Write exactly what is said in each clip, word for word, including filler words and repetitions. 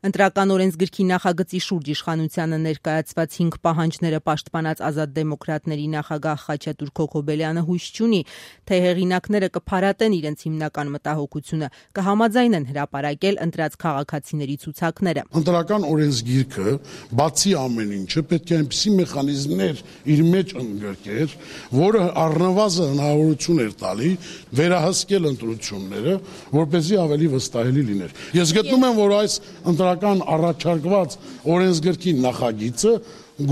Ընտրական օրենսգրքի նախագծի շուրջ իշխանությանը ներկայացված հինգ պահանջները պաշտպանած Ազատ դեմոկրատների նախագահ Խաչատուր Քոքոբելյանը հույս չունի, թե հեղինակները կփարատեն իրենց հիմնական մտահոգությունը, կհամաձայնեն հրապարակել ընտրած քաղաքացիների ցուցակները։ Ընտրական օրենսգիրքը, բացի ամեն ինչը, պետք է այնպիսի մեխանիզմներ իր մեջ ընդգրկեր, որը առնվազն հնարավորություն էր տալի վերահսկել ընտրությունները, որպեսզի ավելի վստահելի լիներ։ Ես գտնում եմ, որ այս ընտրական առաջարկված օրենսգրքի նախագիծը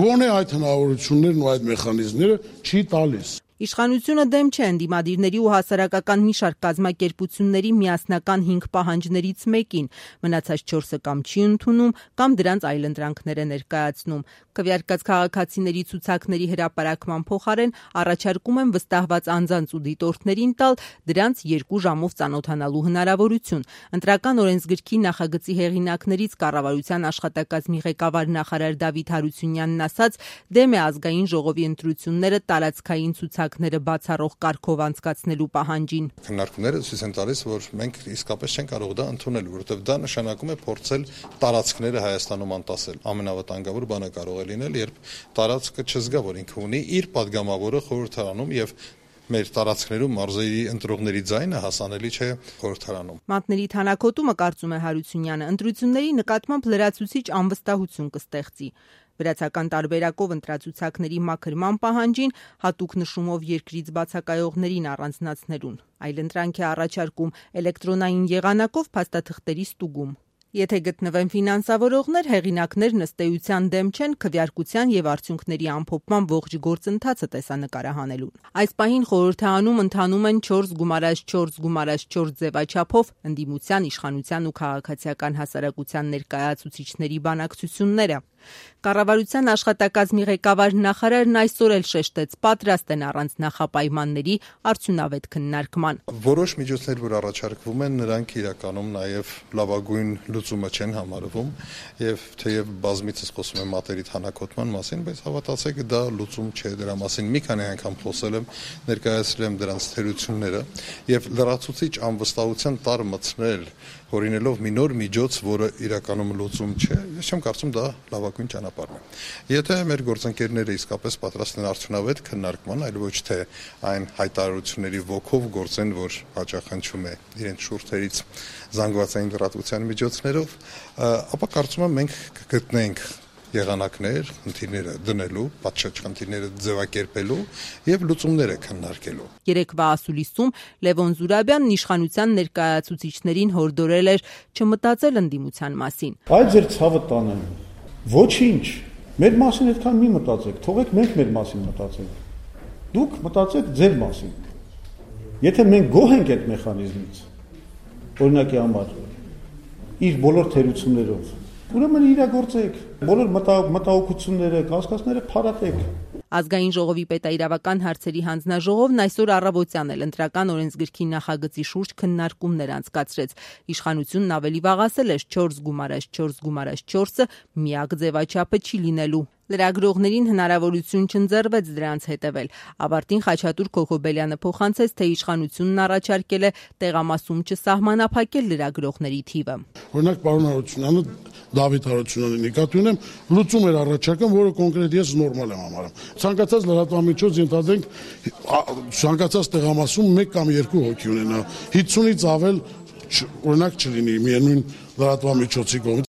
գոնե այդ հնարավորություններն ու այդ մեխանիզմները չի տալիս։ Իշխանությունը դեմ չէ ընդդիմադիրների ու հասարակական մի շարք կազմակերպությունների միասնական հինգ պահանջներից մեկին, մնացած չորսը կամ չի ընդունում, կամ դրանց այլընտրանքներ է ներկայացնում։ Քվեարկած քաղաքացիների ցուցակների հրապարակման փոխարեն առաջարկում են վստահված անձանց ու դիտորդներին տալ դրանց երկու ժամով ծանոթանալու հնարավորություն։ Ընտրական օրենսգրքի նախագծի հեղինակներից կառավարության աշխատակազմի ղեկավար նախարար Դավիթ Հարությունյանն ասաց, դեմ է ազգային ժողովի ընտրությունները տարածքային ցուցակները բացառող կարգով անցկացնելու պահանջին։ Քննարկումները ցույց են տալիս, որ մենք իսկապես չենք կարող դա ընդունել, որովհետև դա նշանակում է փորձել տարածքները Հայաստանում անտասել։ Ամենավտանգավոր բանը կարող է լինել, երբ տարածքը չզգա, որ ինքը ունի իր падգամավորը խորհրդարանում եւ մեր տարածքներում մարզերի ընտրողների ձայնը հասանելի չէ խորհրդարանում։ Մատների թանաքոտումը, կարծում է Հարությունյանը, ընտրությունների նկատմամբ լրացուցիչ անվստահություն կստեղծի։ Վրացական տարբերակով ընտրացուցակների մաքրման պահանջին հատուկ նշումով երկրից բացակայողներին առանձնացնելուն, այլընտրանք է առաջարկում էլեկտրոնային եղանակով փաստաթղթերի ստուգում։ Եթե գտնվեն ֆինանսավորողներ, հեղինակներն ըստ էության դեմ չեն քվեարկության եւ արդյունքների ամփոփման ողջ գործընթացը տեսանկարահանելուն։ Այս պահին խորհրդարանում ընթանում են չորս գումարած չորս գումարած չորս ձևաչափով ընդդիմության, իշխանության ու քաղաքացիական հասարակության ներկայացուցիչների բանակցությունները։ Կառավարության աշխատակազմի ղեկավար նախարարն այսօր էլ շեշտեց, պատրաստ են առանց նախապայմանների արդյունավետ քննարկման։ Որոշ միջոցներ, որ առաջարկվում են, նրանք իրականում նաև լավագույն լուծումը չեն համարվում, եւ թեև բազմիցս խոսում եմ մատերի թանաքոտման մասին, բայց հավատացեք, դա լուծում չէ, դրա մասին մի քանի անգամ խոսել եմ, ներկայացրել եմ դրանց թերությունները եւ լրացուցիչ անվստահության տար մտցնել, հորինելով մի նոր միջոց, որը իրականում լուծում չէ, ես չեմ կարծում դա լավագույն ճանապարհն է։ Եթե մեր գործընկերները իսկապես պատրաստ են արդյունավետ քննարկման, այլ ոչ թե այն հայտարարությունների ոգով գործեն, որ հաճախանչում է իրենց շուրթերից զանգվածային լրատվության միջոցներով, ապա կարծում եմ մենք կգտնենք եղանակներ, խնդիրները դնելու, պատշաճ խնդիրները ձևակերպելու եւ լուծումները քննարկելու։ Երեկվա ասուլիսում Լևոն Զուրաբյանն իշխանության ներկայացուցիչներին հորդորել էր չմտածել ընդդիմության մասին։ Այդ ձեր ցավը տանեն։ Ոչինչ։ Մեր մասին այդքան մի մտածեք, թողեք մենք մեր մասին մտածենք։ Դուք մտածեք ձեր մասին։ Եթե մենք գոհ ենք այդ մեխանիզմից, օրինակի համար, իր բոլոր թերություններով, ուրեմն իրագործեք, բոլոր մտահոգությունները, կասկածները փարատեք։ Ազգային ժողովի պետաիրավական հարցերի հանձնաժողովն այսօր առավոտյան էլ ընտրական օրենսգրքի նախագծի շուրջ քննարկումներ անցկացրեց։ Իշխանությունն ավելի վաղ ասել էր չորս գումարած չորս գումարած չորսը միակ ձևաչափը չի լինելու։ Լրագրողներին հնարավորություն չընձեռվեց դրանց հետևել։ Ավարտին Խաչատուր Քոքոբելյանը փոխանցեց, թե իշխանությունն առաջարկել է տեղամասում չսահմանափակել լրագրողների թիվը։ Օրինակ, պարոն Հարությունյանը, Դավիթ Հարությունյանը նկատի ունեմ, լուծում էր առաջարկում, որը կոնկրետ ես նորմալ եմ համարում։ Ցանկացած լրատվամիջոց ենթադրենք ցանկացած տեղամասում մեկ կամ երկու հոգի ունենա, հինգից ավել օրինակ չլինի միևնույն լրատվամիջոցի կողմից։